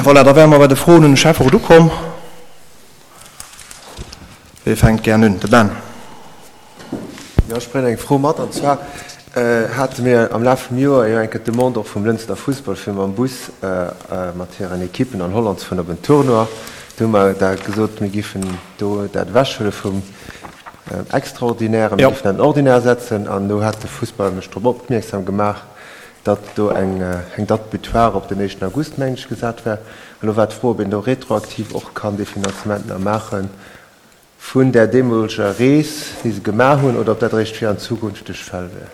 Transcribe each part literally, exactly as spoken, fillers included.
Voilà, da wäre mer bei de Froen un de Schäfferot ukomm. Wie fänkt gären un? De Ben. Jo, ech bréngen eng Fro mat. An zwar hate mir am Laf vum Joer jo eng Kéier d'Demande och vum Lënster Fussball, fir mam Bus mat hiren Ekippen an Holland ze fueren op en Tournoi. Do hu mer da gesot, mir giffen do dat ewechhuele vum Extraordinaire, mir giffen dat an Ordinaire setzen. An do hat de Fussball mech drop opmierksam gemaach, datt do eng Date butoir op den éischten August, mengen ech, gesat war. Elo war d'Fro, ob een do retroaktiv och kann dee Finanzement nach maache vun där deemoleger Rees, déi se gemaach hunn, oder ob dat eréischt fir an zukünfteg Fäll wär.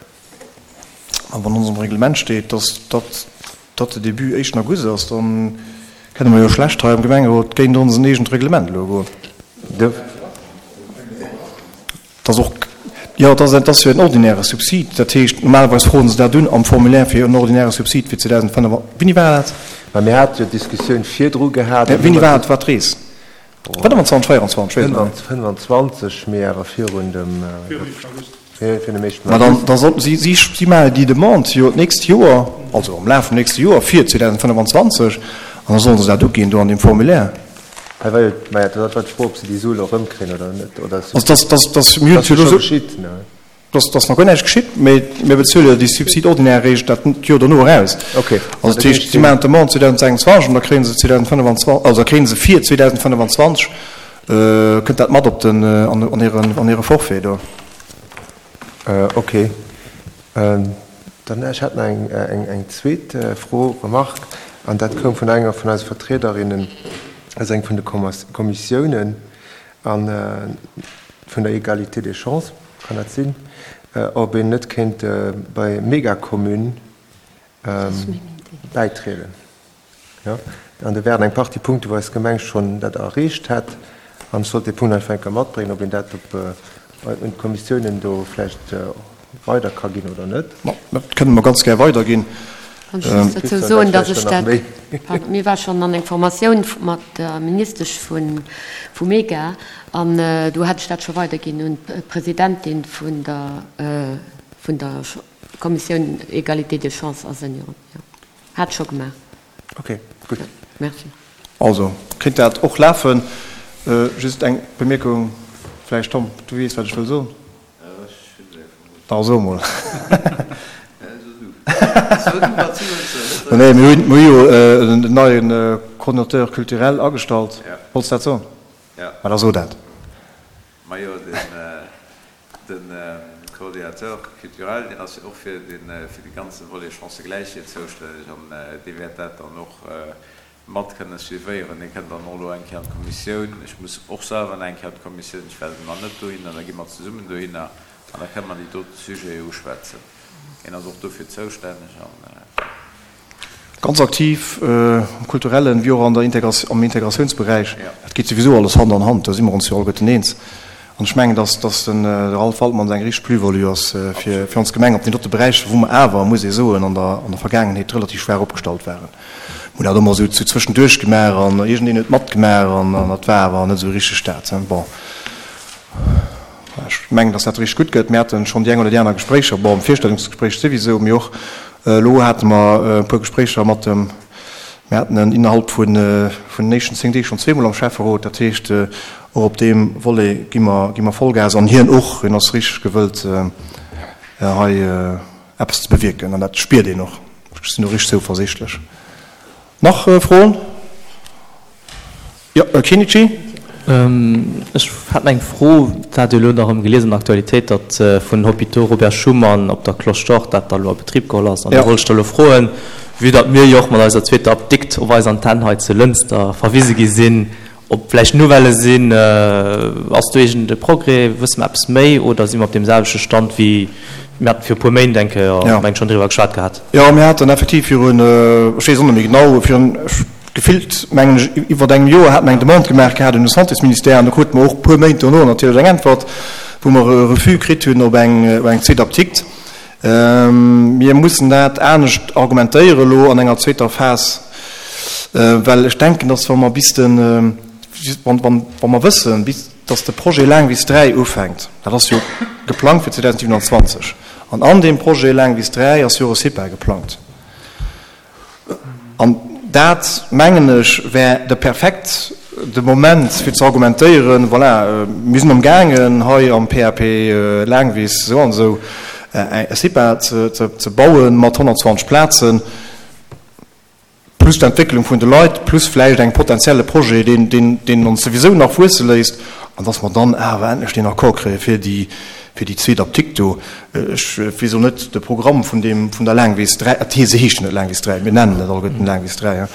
A wann an onsem Reglement steet, datt d'Date de début éischten August ass, da kënne mer jo schlecht hei am Gemengerot géint onsen eegent Reglement elo goen. Dat ass och, jo, dat ass jo en ordinäre Subsid. Dat heescht, normalerweis froen se dat un am Formulaire fir en ordinäre Subsid fir zweedausendfënnef. Wéini war dat? Mä mir hate jo d'Diskussioun virdru gehat. Wéini war dat, war d'Rees? fënnefanzwanzeg, véierundzwanzeg, weess net. Fënnefanzwanzeg, mee awer virun dem, virun dem éischten August. Ma dann, da sollten si, si, si maachen déi Demande jo d'nächst Joer, also am Laf vum nächste Joer fir zweedausendfënnefanzwanzeg, an da solle se dat uginn do an deem Formulaire. Hei war jo, maja, dat war d'Fro, ob se déi Sue elo erëmkréien oder net, oder. Also dass, dass, dass, mir hunn Dat ass jo scho geschitt, ne? Dass ass nach guer näischt geschitt, mee mir bezuele jo déi Subside ordinaire eréischt dat Joer dono eraus. Okay. Also dat heescht, si maachen d'Demande zweedausendsechsundzwanzeg an da kréie se zweedausendfënnefanzwanzeg, also da kréie se fir zweedausendfënnefanzwanzeg, kënnt dat mat op den, an hiren, an hire Forfait do. Okay. Dann, ech hätt nach eng, eng, eng zweet Fro, Remarque, an dat koum vun enger vun eise Vertriederinnen aus eng vun de Kommissiounen a vun der Égalité des chances. Kann dat sinn, ob een net kéint bei Megacommune bäitrieden? Jo, an do wären eng Partie Punkte, wou eis Gemeng schonn dat erreecht hätt. An ech sollt dee Punkt einfach eng Kéier matbréngen, ob een dat op un d'Kommissiounen do vläicht weider ka ginn oder net. Ma dat kënne mer ganz gär weiderginn. Kann ech just dozou soen, dass ech dat, pardon, mir war schonn an eng Formatioun mat der Ministesch vu Mega an do hat ech dat scho weiderginn un d'Presidentin vun der vun der Kommissioun Égalité des chances a Senioren. Jo, hat ech scho gemaach. Okay, gutt. Merci. Also kéint dat och lafen. Just eng Bemierkung vläicht, Tom, du weess, wat ech wëll soen. Da so mol. Nee, mir hunn jo en neien Coordinateur culturel agestallt. Wollts dat soen? Ma da so dat. Majo, den Coordinateur culturel, deen ass jo och fir de ganze Volet Chancëgläichheet zoustänneg an dee wäert dat dann och mat kënne suivéieren. Dee kënnt dann och elo eng Kéier an d'Kommissioun. Ech muss och selwer nach eng Kéier an d'Kommissioun. Ech well nach net dohinner. Da gi mer zesummen dohinner an da kënne mer déi dote Sujete uschwätzen. Hien ass och dofir zoustänneg an. Ganz aktiv am kulturellen wéi och an der am Integratiounsberäich. Dat geet souwisou alles Hand an Hand, do si mer ons jo alleguerten eens. An ech mengen, dass dass den Ralph Waldmanns eng richteg Plus-value ass fir fir ons Gemeng op deenen dote Beräicher, wou mer awer, muss ee soen, an der an der Vergaangenheet relativ schwaach opgestallt waren. Mir hunn dat ëmmer esou zu zwëschenduerch gemaach an iergendeen huet matgemaach an an dat war awer net esou richteg dat. Bon, ech mengen, dass dat richteg gutt gëtt. Mir hate schonn déi eng oder déi aner Gespréicher, bon, Virstellungsgespréich souwisou, mee och elo hate mer e puer Gespréicher mat dem, mir haten en innerhalb vun vun den éischten zéng Deeg schonn zweemol am Schäfferot. Dat heescht, och op deem Volet gi mer gi mer Vollgas an hien och, hien ass richteg gewëllt hei eppes ze bewierken an dat spiert een och. Ech sinn do richteg zouversichtlech. Nach Froen? Jo, Här Chinnici. Ech hat eng Fro, dat hat jo elo nach erëm gelies an der Aktualitéit, datt vun Hôpitaux Robert Schuman op der Cloche d'Or dat da elo a Betrib geholl ass. An do wollt ech da elo froen, vue datt mir jo och mat eiser zweeter Apdikt op eis Antenn hei zu Lënster verwise gi sinn, ob vläicht Nouvellë sinn, ass do iergend e Progrès, wësse mer eppes méi oder si mer op deem selwechte Stand wéi mir haten viru e puer Méint eng Kéier, meng ech, schonn driwwer geschwat gehat? Jo, mir haten effektiv virun, ech weess och net méi genau, virun, Gefillt, mengen ech, iwwert engem Joer hate mer eng Demande gemaach gehat un de Santésministère an do krute mer och e puer Méint dono natierlech eng Äntwert, wou mer e Refus kritt hunn op eng, op eng zweet Apdikt. Mir mussen dat anescht argumentéiere elo an enger zweeter Phas, well ech denken, dass wa mer bis de, wann, wann, wa mer wëssen, bis dass de Projet Laangwiss dräi ufänkt, dat ass jo geplangt fir zweedausendsiewenundzwanzeg, an an deem Projet Laangwiss dräi ass jo och e CIPA geplangt, An Dat, mengen ech, wär de perfekt de Moment, fir ze argumentéieren, voilà, mir sinn amgaangen, hei am P A P Laangwiss esou an esou e CIPA ze bauen mat honnertzwanzeg Plazen, plus d'Entwécklung vun de Leit, plus vläicht engem potenzielle Projet, deen ons souwisou nach wuesse léisst, an dass mer dann awer endlech deen Accord kréie fir déi fir déi zweet Apdikt do. Ech weess och net de Programm vun deem, vun der Laangwiss dräi, se heescht jo net Laangwiss dräi, mir nennen et alleguerten Laangwiss dräi,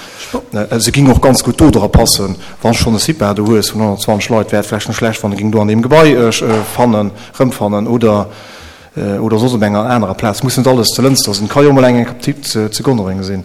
se ging och ganz gutt do dra passen. Wann s schonn e CIPA do hues vun honnertzwanzeg Leit, wär et vläicht net schlecht, wann e ging do an deem Gebai fannen, rëmfannen oder oder soss op enger anerer Plaz. Muss net alles zu Lënster sinn, ka jo och mol eng Apdikt zu Gonnereng sinn.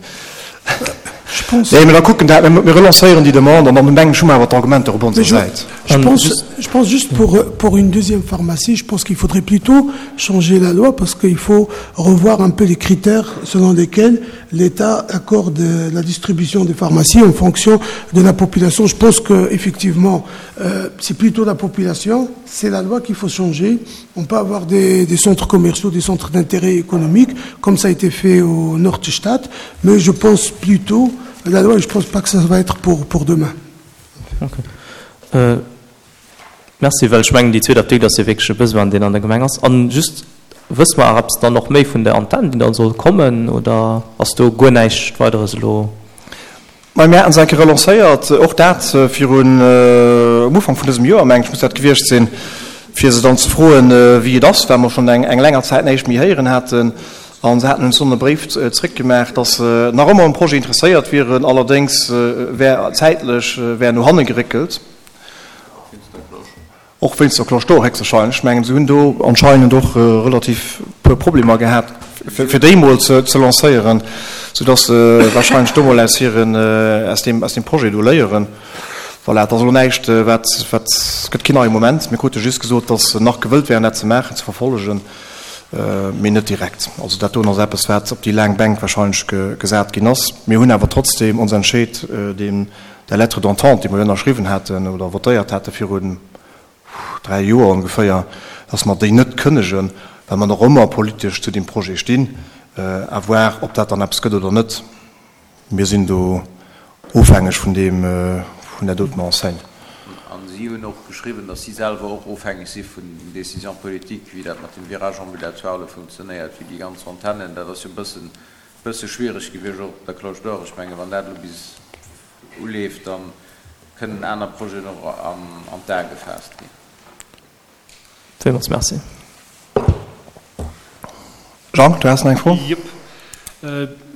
Nee, mä da kucken dat, mir relancéieren déi Demande an dann mengen ech hu mer awer d'Argumenter op onser Säit. Je pense, je pense juste pour, pour une deuxième pharmacie, je pense qu'il faudrait plutôt changer la loi parce qu'il faut revoir un peu les critères selon lesquels l'État accorde la distribution des pharmacies en fonction de la population. Je pense que effectivement, euh, c'est plutôt la population, c'est la loi qu'il faut changer. On peut avoir des, des centres commerciaux, des centres d'intérêt économique, comme ça a été fait au Nordstadt, mais je pense plutôt la loi, je pense pas que ça va être pour, pour demain. Okay. Euh, merci, well ech mengen, déi zweet Apdikt ass jo wierklech e Besoin, deen an der Gemeng ass. An just, wësse mer awer eppes dann och méi vun der Antenn, déi dann soll kommen, oder ass do guer näischt Weideres elo? Mä mir haten se eng Kéier relancéiert, och dat virun, um Ufank vun dësem Joer, mengen ech, muss dat gewiescht sinn, fir se dann ze froen, wéi et ass, well mer schonn eng länger Zäit näischt méi héieren haten. A se haten uns dann e Bréif zréckgemaach, dass se nach ëmmer um Projet interesséiert wieren, allerdéngs wär zäitlech wär no hanne geréckelt. Och wéinst der Cloche d'Or héchstwahrscheinlech. Ech mengen, se hunn do anscheinend och relativ puer Problemer gehat, fir déi mol ze lancéieren, soudass se wahrscheinlech do mol aus hiren, aus deem, aus deem Projet do léieren. Voilà, et ass elo näischt, wat, wat, et gëtt keen neie Moment. Mir krute just gesot, dass se nach gewëllt wären, dat ze maachen, ze verfollegen, mee net direkt. Also dat doen ass eppes, wat op déi laang Bänk wahrscheinlech gesat ginn ass. Mir hunn awer trotzdem ons entscheet, deem, der Lettre d'entente, déi mer jo ënnerschriwwen haten oder votéiert hate virun dräi Joer ongeféier, dass mer déi net kënnegen, well mer nach ëmmer politesch zu deem Projet stinn. À voir, ob dat dann eppes gëtt oder net. Mir sinn do ofhängeg vun deem, vun där doten Enseigne. An si hunn och geschriwwen, dass si selwer och ofhängeg si vun den Décisions politiques, wéi dat mat dem Virage ambulatoire elo funktionéiert, wéi déi ganz Antennen. Dat ass jo e bëssen, bësse schwiereg gewiescht, och op der Cloche d'Or. Ech mengen, wann dat elo bis uleeft, da kënnen aner Projeten och an d'A gefaasst ginn. Villmools Merci. Jean, du has nach eng Fro? Jep.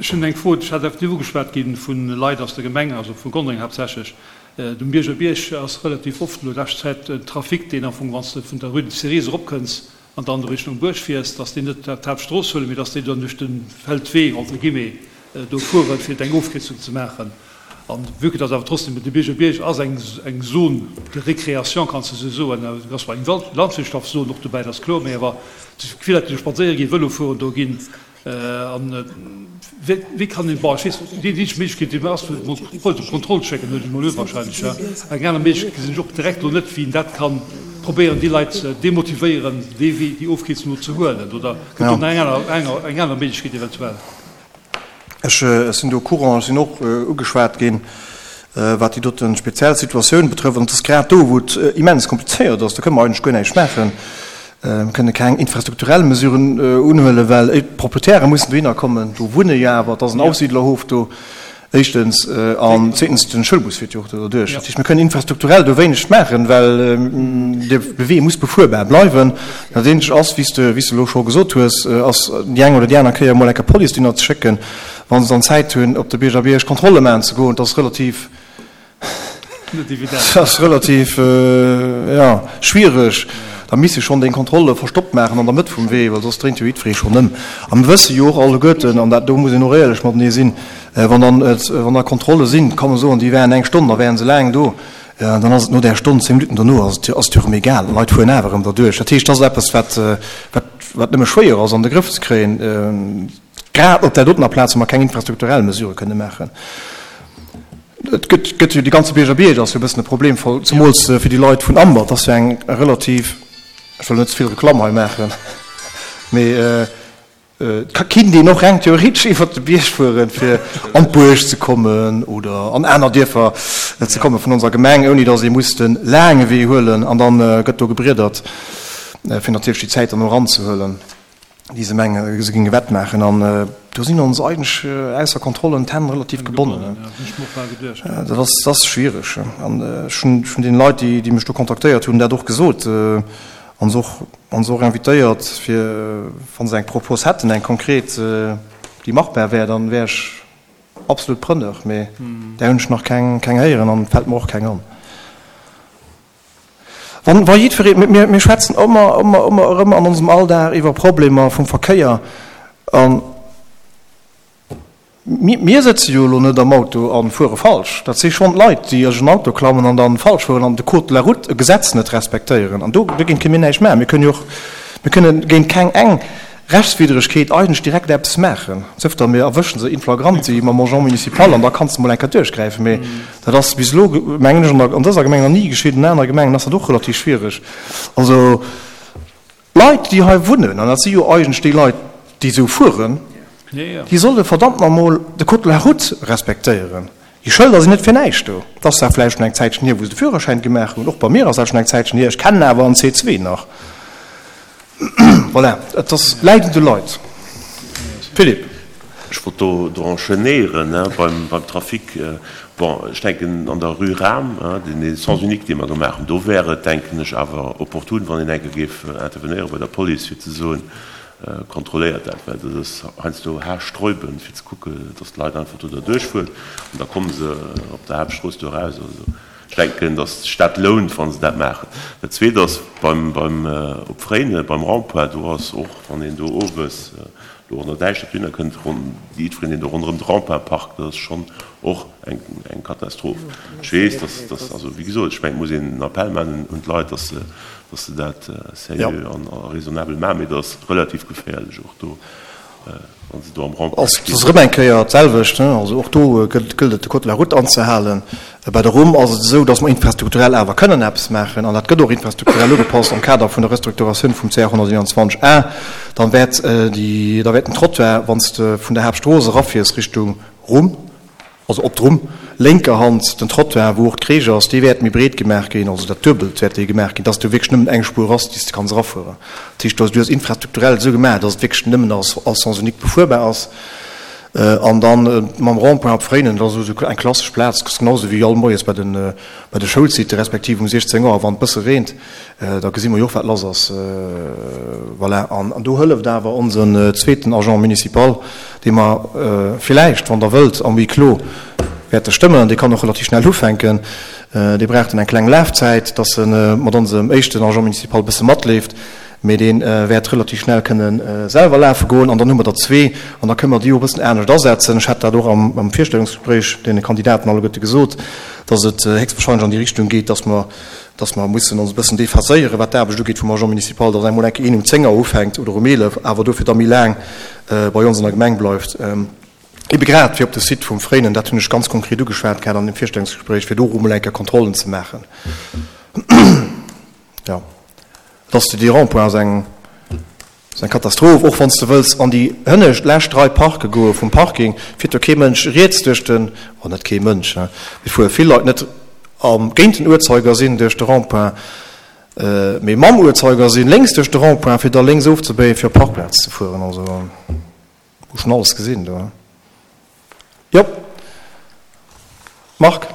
Ech hunn eng Fro, ech hat effektiv ugeschwat gi vu Leit aus der Gemeng, also vu Gondreng haaptsächlech. Um Bierger Bierg ass relativ oft elo lescht Zäit en Trafic, deen am Fong, wann s de vun der Rue des Cerises eropkënns an dann Richtung Buerg fiers, dass déi net d'Haaptstrooss huelen, mee dass déi dann duerch de Feldwee, entre guillemets, do fueren, fir eng Ofkierzung ze maachen. An vue que dass awer trotzdem de Bierger Bierg ass eng eng Zone de récréation, kanns de esou soen, et ass zwar eng Landwirtschaftszon och dobäi, dat ass kloer, mee awer vill Leit, déi do spadséiere ginn, Vëlo fueren do ginn. An wéi wéi kann een, bon, ech weess, déi eenzeg Méiglechkeet, déi mer ass, mol d'Police op Kontroll schécken, huelen ech mol un wahrscheinlech, ja. Eng aner Méiglechkeet gesinn ech och direkt elo net, wéi een dat kann probéieren, déi Leit ze demotivéieren, dee Wee, déi Ofkierzung do ze huelen. Oder gëtt do nach eng aner, eng aner Méiglechkeet eventuell? Ech sinn do au courant, ech sinn och ugeschwat ginn, wat déi dote speziell Situatioun betrëfft. An et ass grad do, wou et immens komplizéiert ass. Do kënne mer eigentlech guer näischt maachen. Mir kënne keng infrastrukturell Mesuren unhuelen, well d'Proprietäre mussen dohinner kommen. Do wunne jo awer, et ass en Aufsiedlerhof do, éischtens, an zweetens, de Schoulbus fiert jo och do derduerch. Dat heescht, mir kënnen infrastrukturell do wéineg maachen, well de Wee muss befuerbar bleiwen. Dat eenzegt ass, wéi s de, wéi s de elo scho gesot hues, ass déi eng oder déi aner Kéier emol eng Kéier Police dohinner ze schécken, wa se dann Zäit hunn, op de Bierger Bierg Kontrolle maachen ze goen. Dat ass relativ. Dat ass relativ, jo, schwiereg. Da misst ee schonn déi Kontrolle verstoppt maachen an der Mëtt vum Wee, well soss dréint jo jiddweree schonn ëm. A mir wësse jo och alleguerten, an dat do muss een och éierlech matenee sinn, wann dann, wann da Kontrolle sinn, kann e soen, déi wären eng Stonn, da wären se laang do, dann ass et no där Stonn, zéng Minutten dono ass et ass et jo erëm egal, d'Leit fueren awer erëm derduerch. Dat heescht, dat ass eppes, wat, wat, wat nëmme schwéier ass an de Grëff ze kréien, grad op där dotener Plaz, wou mer keng infrastrukturell Mesurë kënne maachen. Et gëtt, gëtt jo, dee ganze Bierger Bierg ass jo e bëssen e Problemfall, zemools fir déi Leit vun Amber. Et ass jo eng relativ, ech wëll net ze vill Reklamm hei maachen, mee Et ka kinnt een och reng theoretesch iwwert de Bierg fueren, fir an d'Buerg ze kommen oder an aner Dierfer ze komme vun onser Gemeng, ouni datt ee muss de laange Wee huelen. An da gëtt do gebriedert, fir natierlech déi Zäit dann och eranzehuelen, déi se menge se géinge wettmaachen. An do sinn ons eigentlech ausser Kontrollen d'Hänn relativ gebonnen. Dat ass, dat ass schwiereg. An ech hunn vun deene Leit, déi mech do kontaktéiert hunn, dat och gesot. An se och, an se och invitéiert, fir, wa se eng Propos hätten, eng konkret, déi machbar wär, dann wär ech absolut preneur. Mee där hunn ech nach keng, keng héieren an et fält mer och keng an. Wann, wa jiddweree, mir, mir schwätzen ëmmer, ëmmer, ëmmer erëm an onsem Alldag iwwer Problemer vum Verkéier an, Mir sëtze jo elo net am Auto a fuere falsch. Dat si schonn d'Leit, déi an en Auto klammen an dann falsch fueren an de Code de la route, e Gesetz, net respektéieren. An do dogéint kënne mir näischt maachen. Mir kënnen jo och, mir kënne géint keng eng Rechtswiddregkeet eigentlech direkt eppes maachen, sauf datt mir erwësche se in flagranti mam Agent municipal an da kanns de mol eng Kéier duerchgräifen. Mee dat ass bis elo, mengen ech, an dëser Gemeng nach ni geschitt. An anere Gemengen ass dat och relativ schwiereg. Also. D'Leit, déi hei wunnen, an dat si jo eigentlech déi Leit, déi esou fueren, déi solle verdammt nach emol de Code de la route respektéieren. Déi Schëlder sinn net fir näischt do. Et ass zwar vläicht schonn eng Zäitchen hier, wou se de Führerschäin gemaach hunn, och bei mir ass dat schonn eng Zäitchen hier, ech kennen awer en C zwee nach. Voilà, et ass, läit un de Leit. Philippe. Ech wollt do do enchaînéieren beim beim Trafic. Bon, ech denken an der Rue Rahm, deen Sens unique, dee mer gemaach hunn, do wär et, denken ech, awer opportun, wann een eng Kéier géif intervenéiere bei der Police, fir ze soen, kontrolléiert dat, well dat ass heiansdo haarsträubend, fir ze kucken, dass d'Leit einfach do derduerch fueren an da komme se op der Haaptstrooss do eraus. Also ech denken, dass sech dat lount, wa se dat maachen. Dat Zweet ass beim beim op Fréinen, beim Rond-point, do ass och, wann een do owes do an der Däischtert dohinner kënnt, ronn jiddwereen, deen do ronderëm de Rond-point parkt, dat ass schonn och eng eng Katastroph. Ech weess, dass dass, also wéi gesot, ech mengen, et muss een en Appell maachen un d'Leit, dass se dass se dat sérieux an a raisonnabel maachen, mee dat ass relativ geféierlech och do, wa se do am Rond-point stinn. Et ass erëm eng Kéier d'selwecht, also och do gëllt et, de Code de la route anzehalen. Bei der Rumm ass et esou, dass mer infrastrukturell awer kënnen eppes maachen, an dat gëtt och infrastrukturell ugepasst am Kader vun der Restrukturatioun vum C R honnerteenanzwanzeg A. Dann wäert déi, da wäert den Trottoir, wann s de vun der Haaptstrooss erafiers Richtung Rumm, also op d'Rumm, lénker Hand den Trottoir, wou och d'Crèche ass, dee wäert méi breet gemaach ginn, also dat Duebelt wäert dee gemaach ginn, dass do wierklech nëmmen eng Spuer ass, déi s de kanns erafueren. Dat heescht, do ass infrastrukturell esou gemaach, dass et wierklech nëmmen als Sens unique befuerbar ass. An dann mam Rond-point op Fréinen, dat ass esou eng klassesch Plaz, genau esou wéi all moies bei de bei de Schoulsite respektiv um siechzéng Auer, wann et bësse reent, da gesi mer jo och, wat lass ass. Voilà. An do hëlleft awer onsen zweeten Agent municipal, dee mer villäicht, wann Der wëllt, am Huis clos wäerte stëmmen. Dee kann och relativ schnell ufänken. Dee brauch dann eng kleng Lafzäit, dass e mat onsem éischten Agent municipal e bësse matleeft. Mee dee wäert relativ schnell kënne selwer lafe goen. An dann hu mer der zwee an da kënne mer déi och e bëssen anescht asetzen. Ech hat dat och am Virstellungsgespréich deene Kandidaten alleguerte gesot, dass et héchstwahrscheinlech an déi Richtung geet, dass mer, dass mer mussen ons e bëssen déphaséieren, wat d'Aarbecht ugeet vum Agent municipal, dass emol eng Kéier een um zéng Auer ufänkt oder um eelef, awer dofir da méi laang bei ons an der Gemeng bleift. Ebe grad fir op de Site vum Fréinen, dat hunn ech ganz konkret ugeschwat gehat an dem Virstellungsgespréich, fir do och emol eng Kéier Kontrollen ze maachen. Jo. Dass de déi Rond-point ass eng ass eng Katastroph, och wann s de wëlls an déi hënnescht lescht Rei parke goe vum Parking, fiert do kee Mënsch riets duerch den, oh net kee Mënsch, hein, mee fuere vill Leit net am géint den Uhrzeigersinn duerch de Rond-point, mee mam Uhrzeigersinn lénks duerch de Rond-point, fir da lénks ofzebéien, fir op d'Parkplaz ze fueren. Also hu schonn alles gesinn do, hein. Jo. Marc.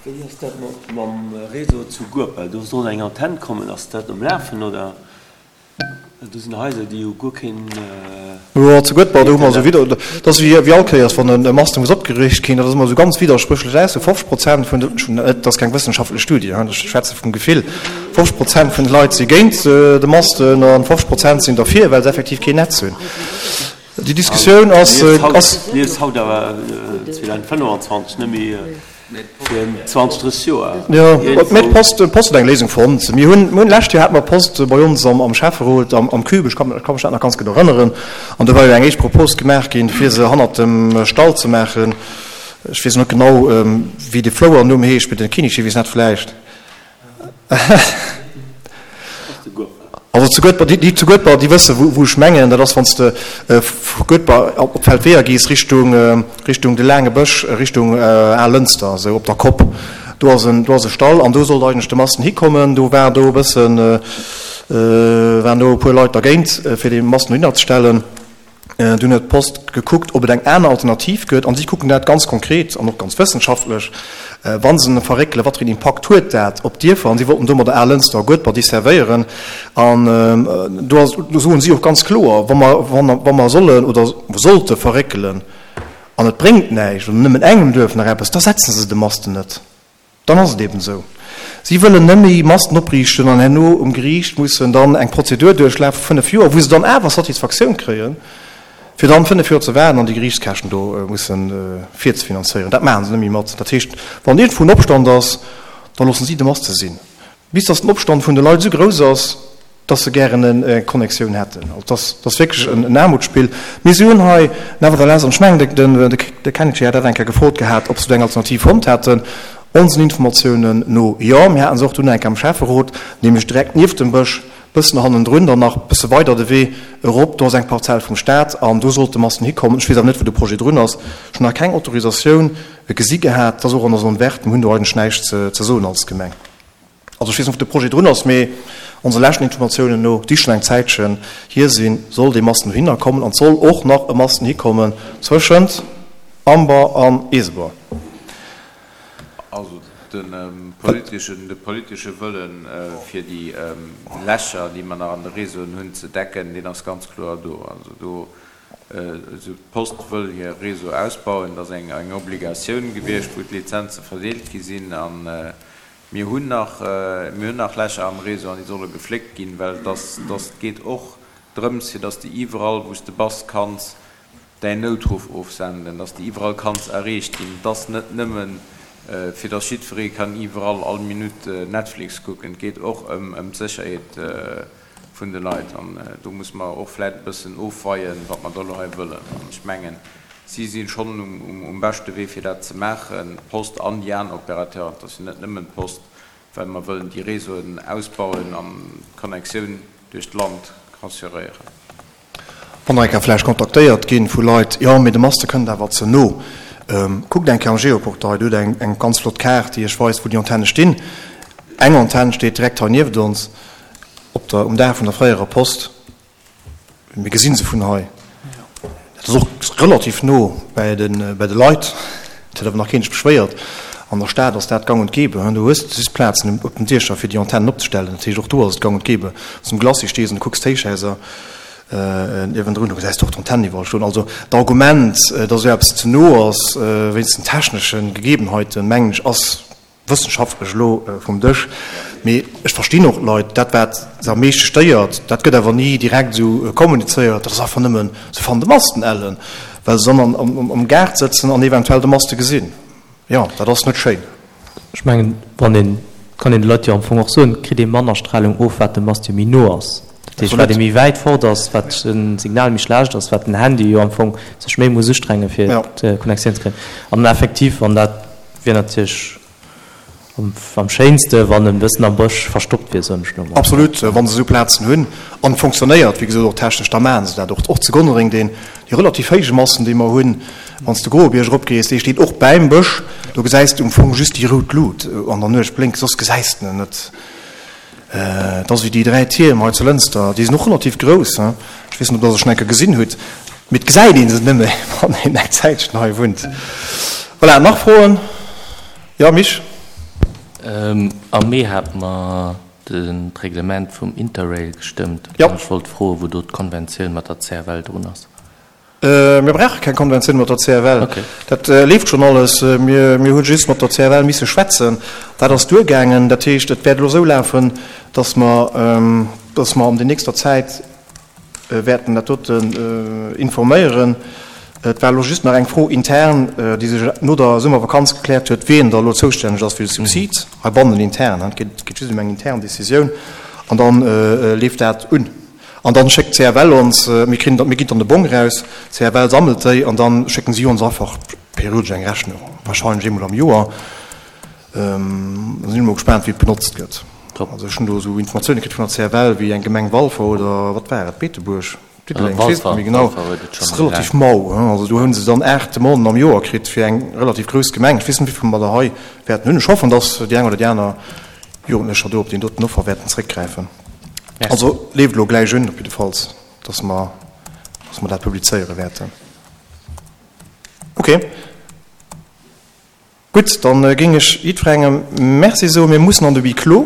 Wéi ass dat mam Réseau zu Guepel? Do soll eng Antenn kommen. Ass dat um Lafen oder? Do sinn Haiser, déi hu guer keen. Jo, zu Guedber, do hu mer esou widder, dat ass wéi all Kéiers, wann e Masten muss opgeriicht ginn, dat ass ëmmer esou ganz widderspréchlech Aussoen. fofzeg Prozent vun de, et ass keng wëssenschaftlech Studie, ech schwätze vum Gefill, fofzeg Prozent vun de Leit si géint de Masten a fofzeg Prozent sinn derfir, well se effektiv keen Netz hunn. Déi Diskussioun ass. Lies haut awer zweedausendfënnefanzwanzeg, net méi virun zwanzeg, drësseg Joer. Jo, mee d'Post, d'Post huet eng Léisung fonnt. Mir hunn, mir hunn, d'lescht Joer hate mer d'Post bei ons am, am Schäfferot, am, am Cube, ech kann, ech ka mech dat nach ganz gutt erënneren, an do war jo eng éischt Propos gemaach ginn, fir se hannert dem Stall ze maachen. Ech weess net genau, wéi de Flouernumm heescht, mee den Kinischi weess dat vläicht. Also zu Guedber, déi zu Guedber, déi wësse wou ech mengen. Dat ass wann s de vu Guedber op d'Feldweeër gees Richtung Richtung de laange Bësch, Richtung Al-Lënster, esou op der Kopp. Do ass en do ass e Stall an do sollt eigentlech de Masten hikommen. Do war do e bëssen, waren do e puer Leit dergéint fir dee Masten dohinner ze stellen. Dunn huet d'Post gekuckt, ob et eng aner Alternativ gëtt. An si kucken dat ganz konkret an och ganz wëssenschaftlech, wa se en verréckelen, wat fir een Impakt huet dat op d'Dierfer. An si wollten domadder Al-Lënster a Guedber desservéieren. An do ass, do soen si och ganz kloer, wa mer, wa mer sollen oder sollte verréckelen an et bréngt näischt oder nëmmen engem Duerf nach eppes, da setze se de Masten net. Dann ass et eben esou. Si wëllen net méi Masten opriichten an herno um Geriicht mussen dann eng Prozedur duerchlafe vu fënnef Joer, wou se dann awer Satisfaktioun kréien, fir dann fënnef Joer ze waarden an déi Geriichtskäschten do mussen virzefinanzéieren. Dat maache se net méi mat. Dat heescht, wann iergendwou en Opstand ass, da loosse si de Maste sinn, bis datt den Opstand vun de Leit esou grouss ass, dass se gären eng Connectioun hätten. Also dass ass wierklech en Aarmutsspill. Mir si hunn hei nevertheless, an ech mengen, de Kennedy hat dat eng Kéier gefrot gehat, ob se do eng Alternativ fonnt hätten. Onsen Informatiounen no jo. Mir haten se och dunn eng Kéier am Schäfferot, nämlech direkt nieft dem Bësch, bëssen hannendrun, dann nach bësse weider de Wee erop, do ass eng Parzell vum Staat an do sollt de Masten hikommen. Ech weess awer net, wou de Projet drun ass. Ech hunn nach keng Autorisatioun gesi gehat. Et ass och an der Zone verte. Mir hunn do eigentlech näischt ze soen als Gemeng. Also ech weess net, wou de Projet drun ass, mee onse leschten Informatiounen no, déi schonn eng Zäitchen hier sinn, soll dee Masten dohinner kommen an et soll och nach e Masten hikommen zwëschent Amber an Eesebuer. Also de politeschen, de politesche Wëllen, fir déi Lächer, déi mer nach an de Réseauen hunn, ze decken, deen ass ganz kloer do. Also do, esou d'Post wëll hir Réseau ausbauen, dat ass eng Obligatioun gewiescht, wou d'Lizenze verdeelt gi sinn. A mir hunn nach, mir hunn nach Lächer am Réseau an déi solle gefléckt ginn, well et ass, et geet och drëms, fir dass de iwwerall, wou s de bass, kanns däin Noutruff ofsenden, dass de iwwerall kanns erreecht ginn. Et ass net nëmmen, fir dass jiddweree kann iwwerall all Minutt Netflix kucken. Et geet och ëm d'Sécherheet vun de Leit. An do muss mer och vläicht e bëssen ofweien, wat mer da elo hei wëllen. An ech mengen, si si schonn um beschte Wee, fir dat ze maachen, d'Post an déi aner Opérateuren. Et ass jo net nëmmen d'Post, well mer wëllen déi Réseauen ausbauen an d'Connectioun duerch d'Land assuréieren. Wann Der eng Kéier vläicht kontaktéiert gi vu Leit, jo, mee de Maste kënnt awer ze no. Kuckt eng Kéier am Geoportail, do hutt Der eng ganz flott Kaart, déi Iech weist, wou déi Antenne stinn. Eng Antenn steet direkt hei nieft ons op der, um Daach vun der fréierer Post. Mir gesi se vun hei. Dat ass och relativ no bäi de, bäi de Leit. Et huet awer nach keen sech beschwéiert. An der Stad ass dat gang und gäbe. Do hues de just Plazen op den Diecher, fir déi Antennen opzestellen. Dat heescht, och do ass et gang und gäbe. Wann s de um Glacis stees an du kucks d'Héichhaiser niewendrun, do gesäis de och d'Antennen iwwerall stoen. Also d'Argument, datt esou eppes ze no ass wéinst den technesche Gegebenheiten, mengen ech, ass wëssenschaftlech elo vum Dësch. Mee ech verstinn och d'Leit, dat wat se am meeschte stéiert, dat gëtt awer ni direkt esou kommunizéiert, dat ass einfach nëmmen, se fannen de Masten ellen, well se dann am Gaart sëtzen an eventuell de Maste gesinn. Jo, dat ass net schéin. Ech mengen, wann een, kann een de Leit jo am Fong och soen, kritt ee manner Stralung of, wat de Mast jo méi no ass. Dat heescht, wat ee méi wäit fort ass, wat de Signal méi schlecht ass, wat den Handy jo am Fong sech méi muss ustrengen, fir d'Connectioun ze kréien. An effektiv, wann dat wier natierlech am schéinste, wann en bëssen am Bësch verstoppt wier, soen ech elo mol. Absolut, wa se esou Plazen hunn an et fonctionnéiert, wéi gesot, och technesch, da maache se dat och. Och zu Gonnereng, deen, dee relativ héije Masten, dee mer hunn, wann s de Groebierg eropgees, dee steet och bäim Bësch, do gesäis de um Fong just déi rout Lut an der Nuecht blénken, soss gesäis de en net. Et ass wéi déi dräi Tierm hei zu Lënster, déi sinn och relativ grouss, ech weess net, ob Der se schonn eng Kéier gesinn hutt, mee et gesäit ee se nëmme, wann een eng Zäitchen hei wunnt. Voilà, nach Froen? Jo, Misch? Am Mee hate mer d'Reglement vum Interrail gestëmmt an ech wollt froen, wou do d'Konventioun mat der C F L drun ass. Mir brauche keng Konventioun mat der C F L. Dat leeft schonn alles. Mir hu just mat der C F L misse schwätzen. Dat ass duergaangen. Dat heescht, et wäert elo esou lafen, datt mer, datt mer an der nächster Zäit wäerten dat doten informéieren. Et war elo just nach eng Fro intern, déi sech no der Summervakanz gekläert huet, wien da elo zoustänneg ass fir de Subsid heibannen intern. Et geet just ëm eng intern Décisioun an da leeft dat un. An dann schéckt d'C F L ons, mir kritt, mir ginn dann de Bong eraus, d'C F L sammelt déi an dann schécken si ons einfach periodesch eng Rechnung, wahrscheinlech eemol am Joer. Da sinn ech mol gespaant, wéi et benotzt gëtt. Top. Also ech hunn do esou Informatioune kritt vun der C F L, wéi eng Gemeng Walfer oder wat war et, Beetebuerg, Diddeleng, ech weess et net méi genau, dat ass relativ mau. Also do hu se dann aacht Demanden am Joer kritt fir eng relativ grouss Gemeng. Ech weess net, wéi vill mer der hei wäerten hunn. Ech hoffen, datt déi eng oder déi aner Jugendlecher do op deen doten Offer wäerten zréckgräifen. Also leeft elo gläich un op jiddefalls, datt mer, datt mer dat publizéiere wäerten. Okay. Gutt, dann géing ech jiddwerengem Merci soen. Mir mussen an de Huis clos.